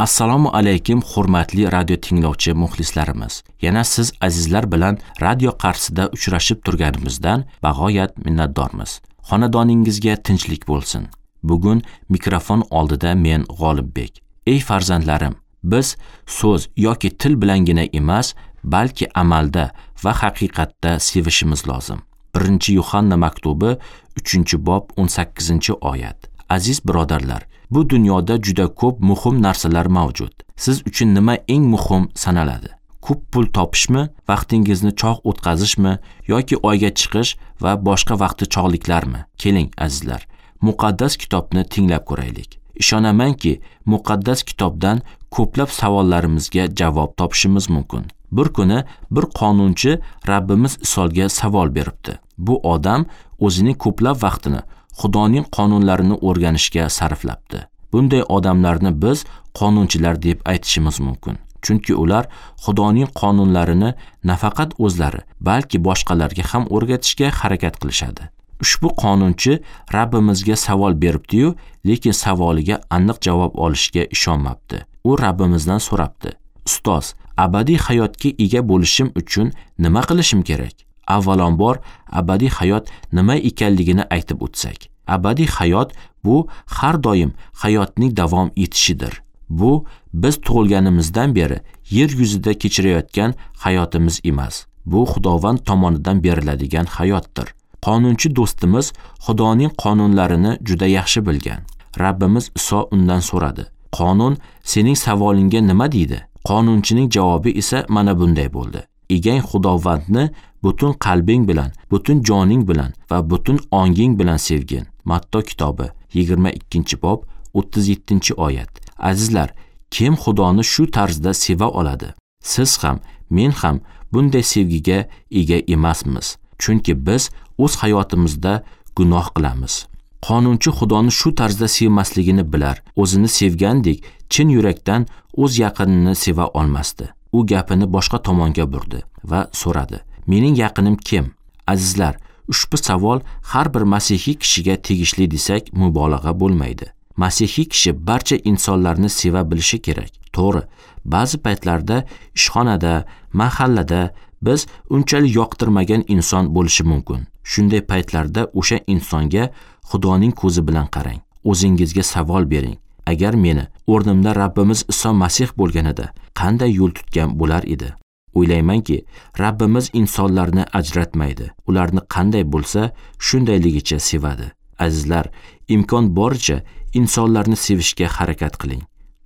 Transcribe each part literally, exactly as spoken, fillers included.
Assalomu alaykum hurmatli radio tinglovchi muxlislarimiz. Yana siz azizlar bilan radio qarshisida uchrashib turganimizdan bag'oyat minnatdormiz. Xonadoningizga tinchlik bo'lsin. Bugun mikrofon oldida men G'olibbek. Ey farzandlarim, biz so'z yoki til bilangina emas, balki amalda va haqiqatda sevishimiz lozim. birinchi Yuhanna maktubi uchinchi bob o'n sakkizinchi oyat. Aziz birodarlar, bu dunyoda juda ko'p muhim narsalar mavjud. Siz uchun nima eng muhim sanaladi? Ko'p pul topishmi, vaqtingizni chog' o'tkazishmi yoki oyga chiqish va boshqa vaqti chog'liklarmi? Keling azizlar, muqaddas kitobni tinglab ko'raylik. Ishonamanki, muqaddas kitobdan ko'plab savollarimizga javob topishimiz mumkin. Bir kuni bir qonunchi Rabbimiz Isoga savol beribdi. Bu odam o'zining ko'plab vaqtini Xudoning qonunlarini o'rganishga sarflabdi. Bunday odamlarni biz qonunchilar deb aytishimiz mumkin. Chunki ular Xudoning qonunlarini nafaqat o'zlari, balki boshqalarga ham o'rgatishga harakat qilishadi. Ushbu qonunchi Rabbimizga savol beribdi-yu, lekin savoliga aniq javob olishga ishonmabdi. U Rabbimizdan so'rabdi: "Ustoz, abadiy hayotga ega bo'lishim uchun nima qilishim kerak?" Avvalambor, abadiy hayot nima ekanligini aytib o'tsak. Abadiy hayot bu har doim hayotning davom etishidir. Bu biz tug'ilganimizdan beri yer yuzida kechirayotgan hayotimiz emas. Bu Xudovand tomonidan beriladigan hayotdir. Qonunchi do'stimiz Xudoning qonunlarini juda yaxshi bilgan. Rabbimiz Iso undan so'radi: "Qonun sening savolingga nima deydi?" Qonunchining javobi esa mana bunday bo'ldi: "Egang Xudovandni butun qalbing bilan, butun joning bilan va butun onging bilan sevgin." Matto kitobi yigirma ikkinchi bob o'ttiz yettinchi oyat. Azizlar, kim Xudoni shu tarzda seva oladi? Siz ham, men ham bunday sevgiga ega emasmiz. Chunki biz o'z hayotimizda gunoh qilamiz. Qonunchi Xudoni shu tarzda sevmasligini bilar, o'zini sevgandek chin yurakdan o'z yaqinini seva olmasdi. U gapini boshqa tomonga burdi va so'radi: "Mening yaqinim kim?" Azizlar, ushbu savol har bir masihiy kishiga tegishli desak mubolag'a bo'lmaydi. Masihiy kishi barcha insonlarni seva bilishi kerak. To'g'ri, ba'zi paytlarda ishxonada, mahallada biz unchalik yoqtirmagan inson bo'lishi mumkin. Shunday paytlarda o'sha insonga Xudoning ko'zi bilan qarang. O'zingizga savol bering. Agar meni o'rnimda Rabbimiz Iso Masih bo'lganida qanday yo'l tutgan bo'lar edi? O'ylaymanki, Rabbimiz insonlarni ajratmaydi. Ularni qanday bo'lsa, shundayligicha sevadi. Azizlar, imkon boricha insonlarni sevishga harakat qiling.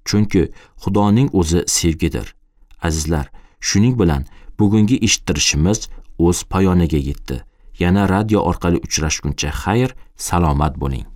Chunki Xudoning o'zi sevgidir. Azizlar, shuning bilan bugungi eshittirishimiz o'z poyoniga yetdi. Yana radio orqali uchrashguncha xayr, salomat bo'ling.